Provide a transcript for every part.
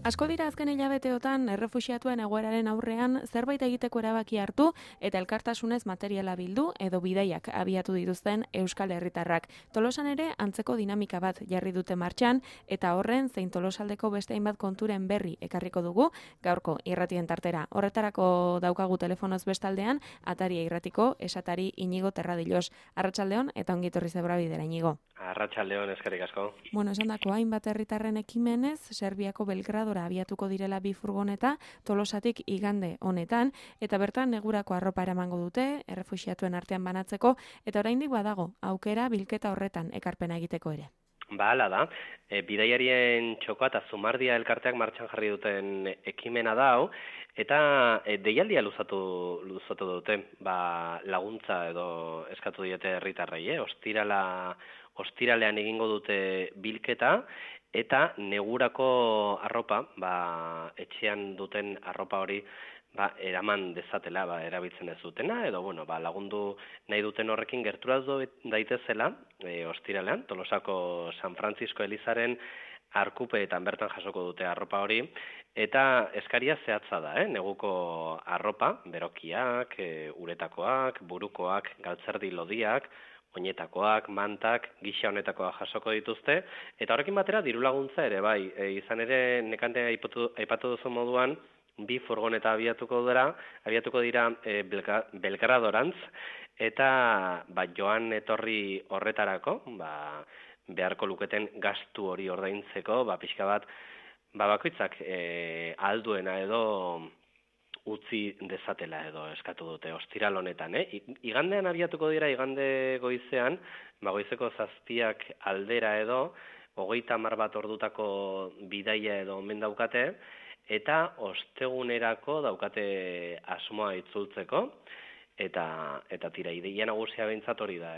Asko dira azken hilabeteotan errefuxiatuen egoeraren aurrean zerbait egiteko erabaki hartu eta elkartasunez materiala bildu edo bidaiak abiatu dituzten Euskal Herritarrak. Tolosan ere antzeko dinamika bat jarri dute martxan eta horren zein Tolosaldeko beste hainbat konturen berri ekarriko dugu gaurko irratien tartera. Horretarako daukagu telefonoz bestaldean Ataria irratiko esatari Inigo Terradilos. Arratsaldeon eta ongi etorri zebrabidera Inigo. Arratsaldeon, eskerrik asko. Bueno, esandako hainbat herritarren ekimenez, Serbiako Belgradora abiatuko direla bi furgoneta Tolosatik igande honetan, eta bertan negurako arropa eramango dute, errefuxiatuen artean banatzeko, eta oraindik badago, aukera bilketa horretan ekarpena egiteko ere. Hala da, bidaiarien txokoa eta zumardia elkarteak martxan jarri duten ekimena da hau, eta deialdia luzatu dute, laguntza edo eskatu diete herritarrei, ostiralean egingo dute bilketa, eta negurako arropa, etxean duten arropa hori eraman dezatela, erabiltzen ez dutena, edo lagundu nahi duten horrekin gerturatu daitezela, ostiralean, Tolosako San Francisco Elizaren arkupeetan bertan jasoko dute arropa hori, eta eskaria zehatza da, neguko arropa, berokiak, uretakoak, burukoak, galtzerdi lodiak, oinetakoak, mantak, gisa honetakoak jasoko dituzte, eta horrekin batera diru laguntza ere, izan ere nekante aipatu duzu moduan, bi furgoneta abiatuko dira Belgradorantz, eta joan etorri horretarako, beharko luketen gastu hori ordaintzeko, pixka bat, bakoitzak alduena edo utzi dezatela edo eskatu dute ostiral honetan. Igandean abiatuko dira, igande goizean, goizeko 7 aldera edo, 30 bat ordutako bidaia edo omen daukate, eta ostegunerako daukate asmoa itzultzeko, eta tira, ideia nagusia behintzat hori da,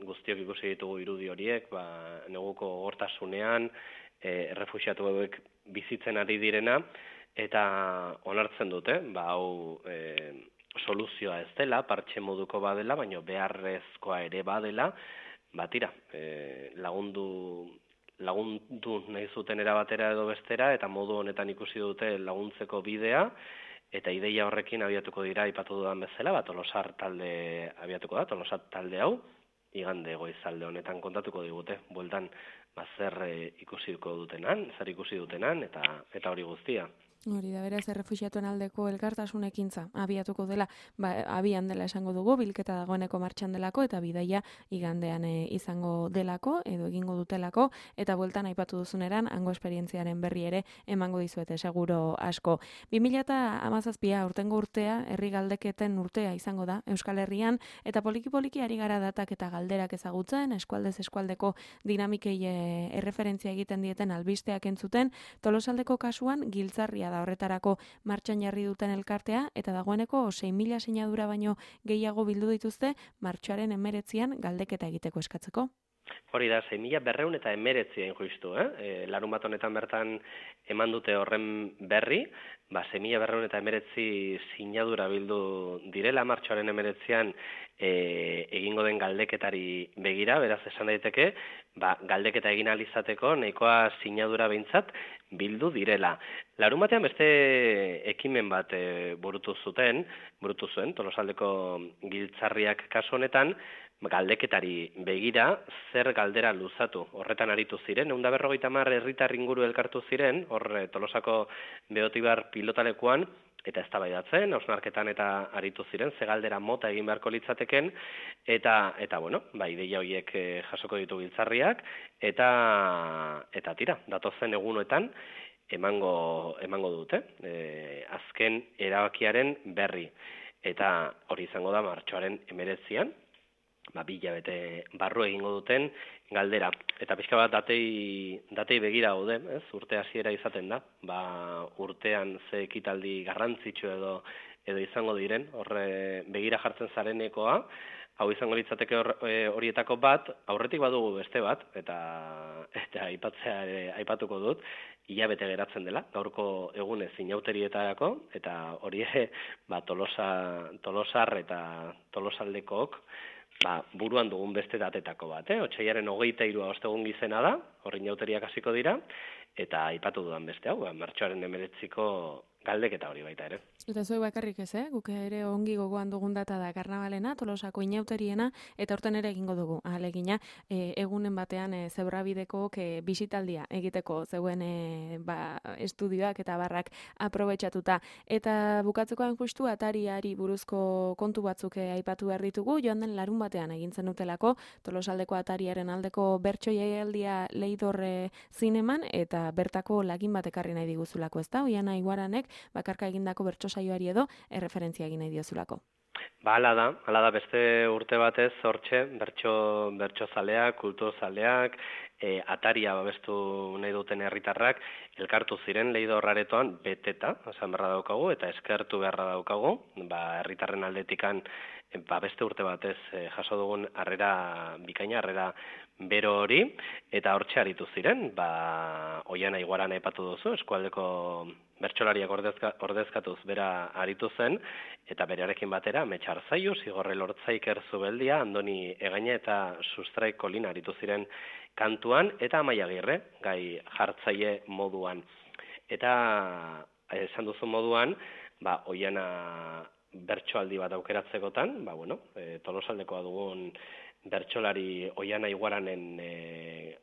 guztiok ikusi ditugu irudi horiek, neguko gogortasunean, errefuxiatu hauek bizitzen ari direna, eta onartzen dute, hau soluzioa ez dela, partxe moduko badela, baina beharrezkoa ere badela, tira, lagundu nahi zuten erabatera edo bestera, eta modu honetan ikusi dute laguntzeko bidea, eta ideia horrekin abiatuko dira, aipatu dudan bezala, Tolosar talde abiatuko da, Tolosar talde hau, igande goizalde honetan kontatuko digute, bueltan, zer ikusi dutenan, eta hori guztia. Hori da, beraz, errefuxiatuen aldeko elkartasun ekintza abiatuko dela, abian dela esango dugu, bilketa dagoeneko martxan delako, eta bidaia igandean izango delako, edo egingo dutelako, eta bueltan aipatu duzuneran, hango esperientziaren berri ere emango dizuete, seguro asko. 2017 urtengo urtea, herri galdeketen urtea izango da, Euskal Herrian, eta poliki-poliki ari gara datak eta galderak ezagutzen, eskualdez eskualdeko dinamikei erreferentzia egiten dieten albisteak entzuten, Tolosaldeko kasuan giltzarria da horretarako martxan jarri duten elkartea, eta dagoeneko 6.000 sinadura baino gehiago bildu dituzte martxoaren 19an galdeketa egiteko eskatzeko. Hori da, 6.219 justu, larun bat honetan bertan eman dute horren berri, 6.219 sinadura bildu direla martxoaren 19an egingo den galdeketari begira, beraz esan daiteke, galdeketa egin ahal izateko nahikoa sinadura behintzat bildu direla. Larun batean beste ekimen bat burutu zuen, Tolosaldeko giltzarriak kasu honetan, galdeketari begira zer galdera luzatu. Horretan aritu ziren, 150 herritar inguru elkartu ziren, hor Tolosako Beotibar pilotalekuan, eta eztabaidatzen, hausnarketan eta aritu ziren, ze galdera mota egin beharko litzateken, eta ideia horiek jasoko ditu giltzarriak, eta tira, datozen egunoetan emango dute, azken erabakiaren berri, eta hori izango da martxoaren 19an, 2 hilabete barru egingo duten galdera. Eta pixka bat datei begira gaude, urte hasiera izaten da, urtean ze ekitaldi garrantzitsu edo izango diren, horre begira jartzen zarenekoa, hau izango litzateke horietako bat, aurretik badugu beste bat, eta aipatuko dut, hilabete geratzen dela, gaurko egunez inauterietarako, eta hori Tolosar eta Tolosaldekook buruan dugun beste datetako bat, Otsailaren 23 ostegun gizena da, horrin jauteriak hasiko dira, eta aipatu dudan beste hau, martxoaren 19ko galdeketa hori baita ere. Eta zuek bakarrik ez, guk ere ongi gogoan dugun data da Karnabalena, Tolosako inauteriena, eta horten ere egingo dugu. Ahalegina, egunen batean Zebrabideko bisitaldia egiteko zeuen estudioak eta barrak aprobetxatuta. Eta bukatzekoan justu atariari buruzko kontu batzuk aipatu behar ditugu, joan den larun batean egintzen dutelako, Tolosaldeko atariaren aldeko bertso jaialdia Leidor zineman, eta bertako lagin bat ekarri nahi diguzulako, ez da? Oiana Iguaranek bakarka egindako bertso saioari edo erreferentzia egin nahi diozulako. Hala da beste urte batez hortxe bertso zaleak, kultur zaleak, ataria babestu nahi duten herritarrak elkartu ziren Leidor aretoan beteta, esan beharra daukagu eta eskertu beharra daukagu, herritarren aldetikan beste urte batez jaso dugun harrera bikaina, harrera bero hori, eta hortxe aritu ziren, Oiana Iguaran aipatu duzu, eskualdeko bertsolariak ordezkatuz bera aritu zen, eta berearekin batera, Metxar Zaiu, Zigorre Lortzaiker Zubeldia, Andoni Egaina eta Sustraik Kolin aritu ziren kantuan, eta Amaia Agirre, gai jartzaile moduan. Eta esan duzu moduan, Oiana bertsoaldi bat aukeratzekotan, Tolosaldekoa dugun bertsolari Oiana Iguaranen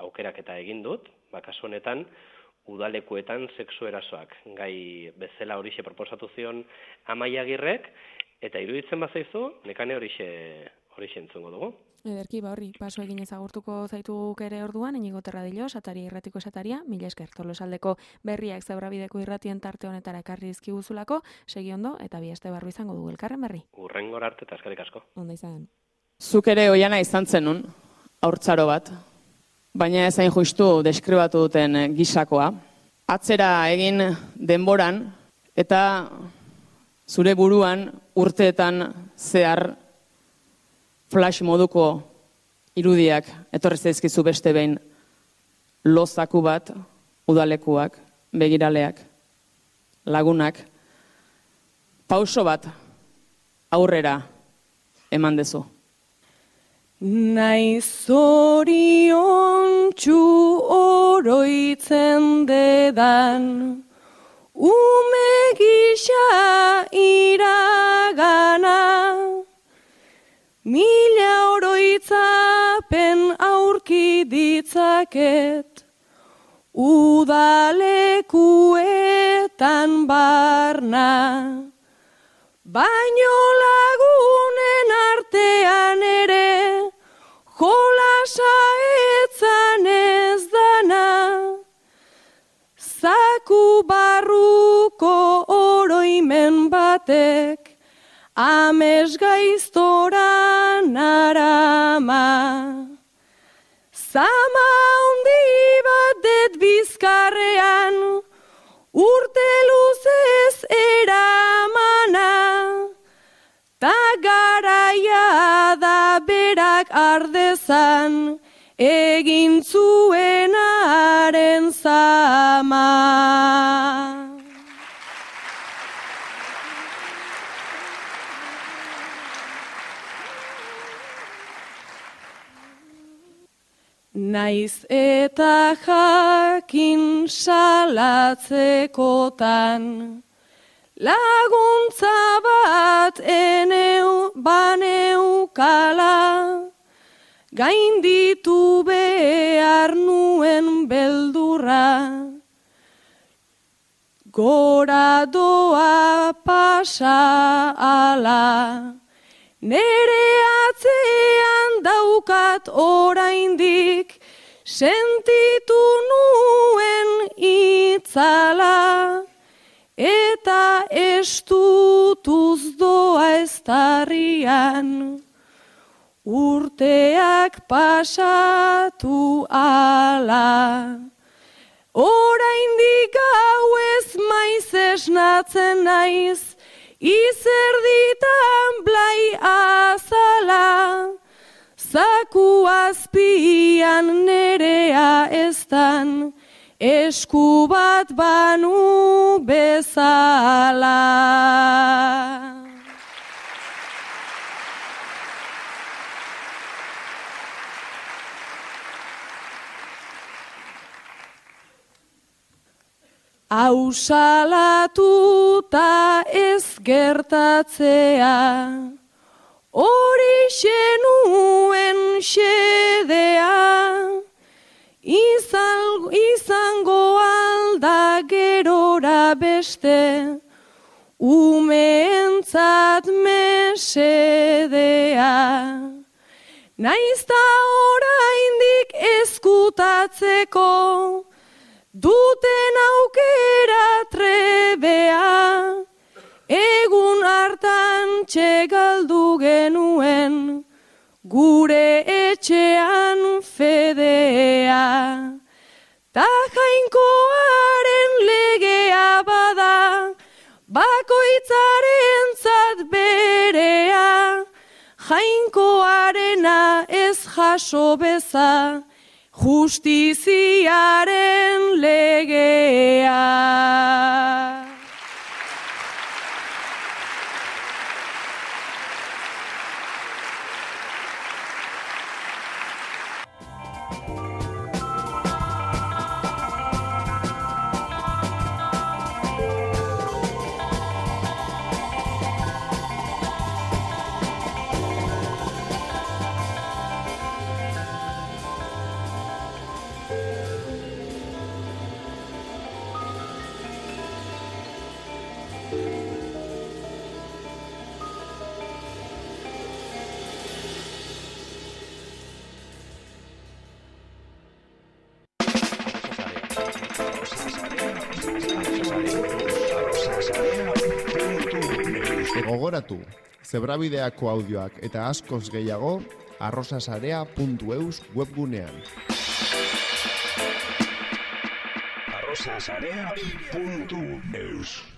aukeraketa egin dut, kasu honetan udalekuetan sexu erasoak, gai bezala horixe proposatu zion Amaia Agirrek, eta iruditzen bazaizu, nekane horixe entzungo dugu. Ederki, horri, paso egin ezagurtuko zaituguk ere orduan, Inigo Terradillo, Sataria irratiko esataria, mila esker, Tolosaldeko berriak Zebrabideko irratien tarte honetara ekarri dizkiguzulako, segi ondo, eta bi aste barru izango dugu elkarren berri. Hurrengora arte eta eskerrik asko. Onda izan. Zuk ere Oiana izan zenun, haurtzaro bat, baina ezain justu deskribatu duten gisakoa. Atzera egin denboran, eta zure buruan urteetan zehar flash moduko irudiak etorri zaizkizu beste behin, lozaku bat, udalekuak, begiraleak, lagunak, pauso bat aurrera eman dezu. Naiz zoriontsu oroitzen dedan, ume gisa iragana, mila oroitzapen aurki ditzaket, udalekuetan barna, baino lagunen artean ere, jolasa etzan ez dana, zaku barruko oroimen batek, ames gaiztora narama. Zama handi bat det bizkarrean, urte luzez eramana, ta garaia da berak ardezan, egin zuenaren zama. Naiz eta jakin salatzekotan, laguntza bat baneukala, gainditu behar nuen beldurra, gora doa pasa ala, nere atzean daukat oraindik, sentitu nuen itzala, eta estutuz doa eztarrian, urteak pasatu ala. Oraindik gau ez maiz esnatzen naiz, izerditan blai azala, zaku azpian nerea eztan, esku bat banu bezala. Ausalatuta ez gertatzea, horixe nuen xedea, izango alda gerora beste, umeentzat mesedea. Naizta oraindik ezkutatzeko, duten aukera trebea, egun hartan txegaldu genuen, gure etxean fedea. Ta Jainkoaren legea bada, bakoitzarentzat berea, Jainkoarena ez jaso beza, justiziaren legea. Gogoratu, Zebrabideako audioak eta askoz gehiago arrosasarea.eus webgunean. arrosasarea.eus